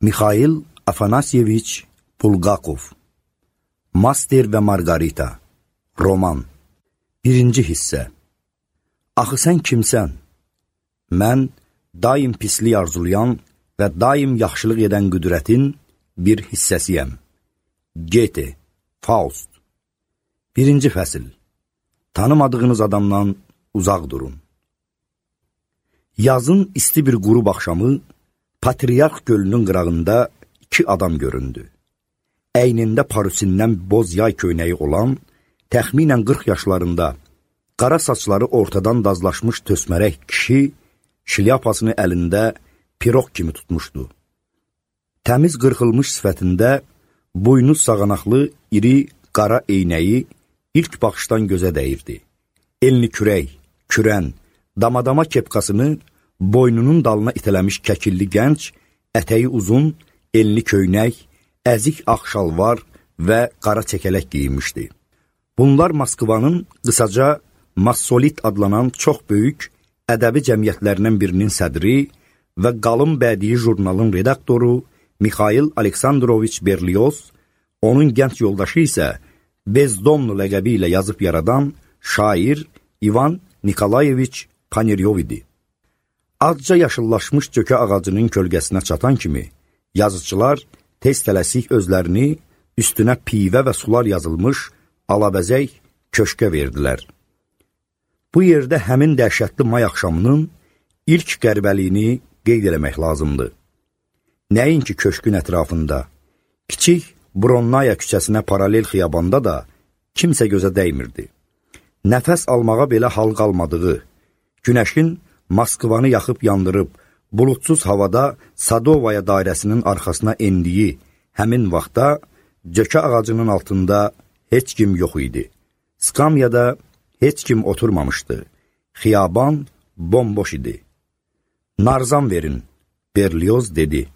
Mikhail Afanasyeviç Bulgakov. Master və Margarita. Roman. 1-ci hissə. Axı sən kimsən? Mən daim pislik arzulayan və daim yaxşılıq edən qüdrətin bir hissəsiyəm. Goethe, Faust. 1-ci fəsil. Tanımadığınız adamdan uzaq durun. Yazın isti bir qurub axşamı Patriarx gölünün qırağında 2 adam göründü. Əynində parusindən boz yay köynəyi olan, təxminən 40 yaşlarında, qara saçları ortadan dazlaşmış tösmərək kişi, şilyapasını əlində piroq kimi tutmuşdu. Təmiz qırxılmış sifətində, buynuz sağanaqlı, iri, qara eynəyi ilk baxışdan gözə dəyirdi. Elini kürək, kürən, damadama kepkasını boynunun dalına itələmiş kəkilli gənc, ətəyi uzun, elini köynək, əzik ağ şalvar və qara çəkələk giyinmişdi. Bunlar Moskvanın qısaca Massolit adlanan çox böyük ədəbi cəmiyyətlərindən birinin sədri və qalın bədii jurnalın redaktoru Mikhail Aleksandroviç Berlioz, onun gənc yoldaşı isə Bezdomnu ləqəbi ilə yazıb yaradan şair İvan Nikolayeviç Paneryov idi. Azca yaşıllaşmış cökə ağacının kölgəsinə çatan kimi, yazıçılar tez tələsik özlərini üstünə pivə və sular yazılmış alabəzək köşkə verdilər. Bu yerdə həmin dəhşətli may axşamının ilk qəribəliyini qeyd eləmək lazımdır. Nəinki köşkün ətrafında, kiçik Bronnaya küçəsinə paralel xiyabanda da kimsə gözə dəymirdi. Nəfəs almağa belə hal qalmadığı, günəşin Moskvanı yaxıb yandırıb, bulutsuz havada Sadovaya dairəsinin arxasına endiyi həmin vaxtda cökə ağacının altında heç kim yox idi. Skamyada heç kim oturmamışdı. Xiyaban bomboş idi. Narzan verin, Berlioz dedi.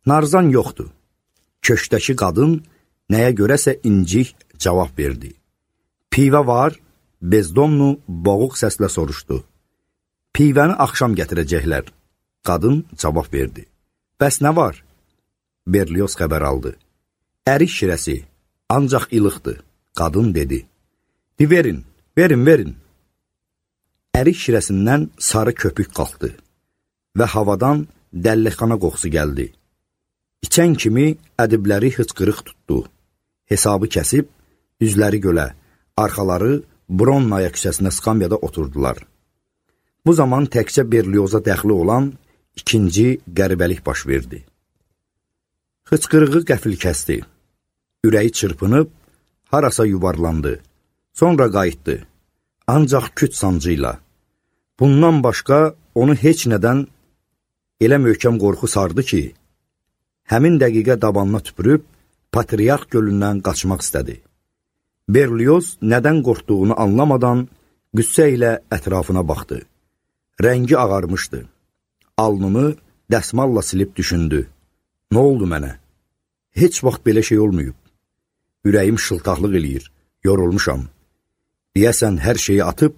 Narzan yoxdur. Köşkdəki qadın nəyə görəsə incik cavab verdi. Pivə var, Bezdomnu boğuq səslə soruşdu. Pivəni axşam gətirəcəklər. Qadın cavab verdi. Bəs nə var? Berlioz xəbər aldı. Ərik şirəsi, ancaq ilıqdır. Qadın dedi. Verin, verin. Ərik şirəsindən sarı köpük qalxdı və havadan dəllixana qoxusu gəldi. İçən kimi ədibləri hıçqırıq tutdu. Hesabı kəsib, üzləri gölə, arxaları Bronnaya küçəsinə skamyada oturdular. Bu zaman təkcə Berlioza dəxli olan ikinci qəribəlik baş verdi. Hıçqırığı qəfil kəsdi. Ürəyi çırpınıb, harasa yuvarlandı. Sonra qayıtdı. Ancaq küt sancıyla. Bundan başqa onu heç nədən elə möhkəm qorxu sardı ki, həmin dəqiqə dabanına tüpürüb, Patriarx gölündən qaçmaq istədi. Berlioz nədən qorxduğunu anlamadan qüssə ilə ətrafına baxdı. Rəngi ağarmışdı. Alnını dəsmalla silib düşündü. Nə oldu mənə? Heç vaxt belə şey olmayıb. Ürəyim şıltaqlıq eləyir, yorulmuşam. Deyəsən, hər şeyi atıb,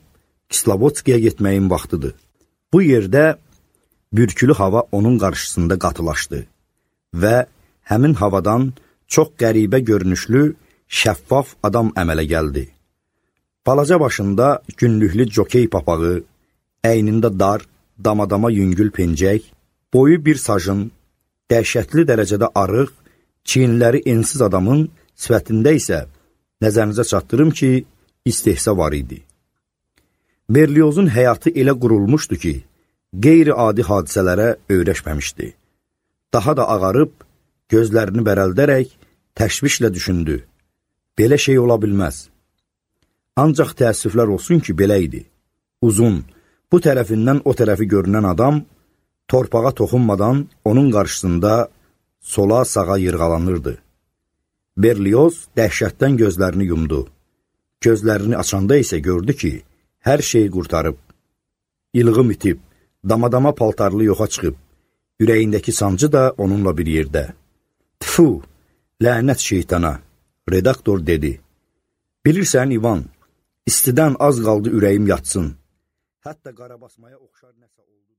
Kislovodskiyə getməyin vaxtıdır. Bu yerdə bürkülü hava onun qarşısında qatılaşdı və həmin havadan çox qəribə görünüşlü, şəffaf adam əmələ gəldi. Balaca başında günlüklü jokey papağı, əynində dar, damadama yüngül pencək, boyu bir sajın, dəhşətli dərəcədə arıq, çiyinləri ensiz adamın sifətində isə nəzərinizə çatdırım ki, istehsa var idi. Berliozun həyatı elə qurulmuşdu ki, qeyri-adi hadisələrə öyrəşməmişdi. Daha da ağarıb, gözlərini bərəldərək təşvişlə düşündü. Belə şey ola bilməz. Ancaq təəssüflər olsun ki, belə idi. Uzun, bu tərəfindən o tərəfi görünən adam, torpağa toxunmadan onun qarşısında sola-sağa yırğalanırdı. Berlioz dəhşətdən gözlərini yumdu. Gözlərini açanda isə gördü ki, hər şeyi qurtarıb. İlğım itib, damadama paltarlı yoxa çıxıb, ürəyindəki sancı da onunla bir yerdə. Tfu, lənət şeytana, redaktor dedi. Bilirsən, İvan, istidən az qaldı ürəyim yatsın. Hətta qarabasmaya oxşar nəsə oldu.